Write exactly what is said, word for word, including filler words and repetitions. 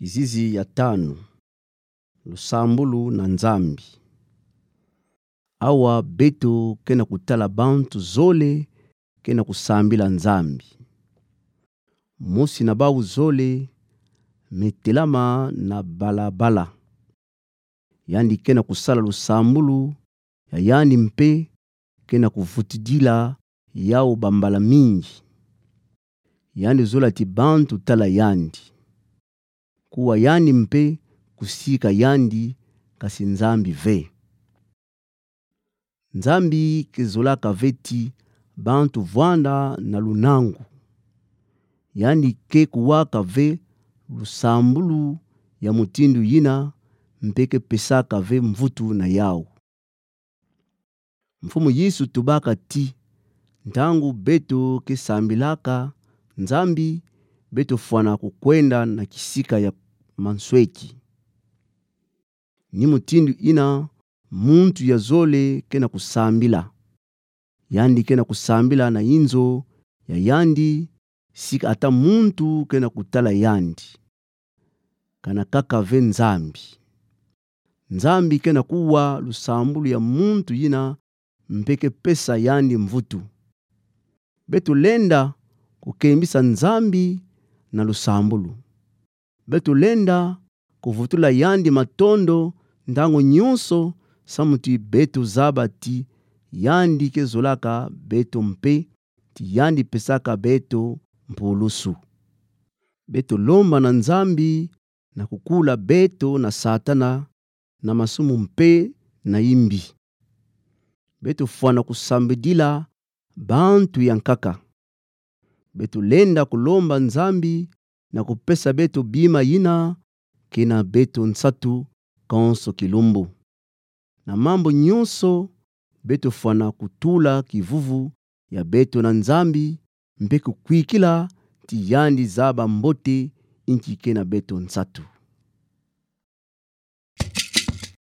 Kizizi ya tanu. Lusambulu na Nzambi. Awa beto ke na kutala bantu zole ke na kusambila Nzambi. Mosi na bau zole me telama na balabala. Yandi ke na kusala lusambulu ya yandi mpe ke na kuvutudila yau bambala mingi. Yandi zola ti bantu tala yandi. Kuwa yandi mpe kusika yandi, kasi Nzambi ve. Nzambi ke zolaka ve ti bantu vwanda na lunangu. Yandi ke kuwaka ve lusambulu ya mutindu yina mpe ke pesaka ve mvutu na yau. Mfumu Yesu tubaka ti, ntangu beto ke sambilaka Nzambi, beto fwana kukwenda na kisika ya mansweki. Ni mutindu yina muntu ya zole ke na kusambila. Yandi ke na kusambila na inzo ya yandi, sika ata muntu ke na kutala yandi. Kana kaka ve Nzambi. Nzambi ke na kuwa lusambulu ya muntu yina mpe ke pesa yandi mvutu. Beto lenda kukembisa Nzambi na lusambulu. Beto lenda kuvutula yandi matondo ntangu nyonso, samu ti beto zaba ti yandi ke zolaka beto mpe ti yandi pesaka beto mpulusu. Beto lomba na Nzambi na kukula beto na Satana, na masumu mpe na imbi. Beto fwana kusambidila bantu ya nkaka. Beto lenda kulomba Nzambi na kupesa beto bima yina ke na beto nsatu konso kilumbu. Na mambu nyonso, beto fwana kutula kivuvu ya beto na Nzambi, mpe kukwikila ti yandi zaba mbote inki ke na beto nsatu.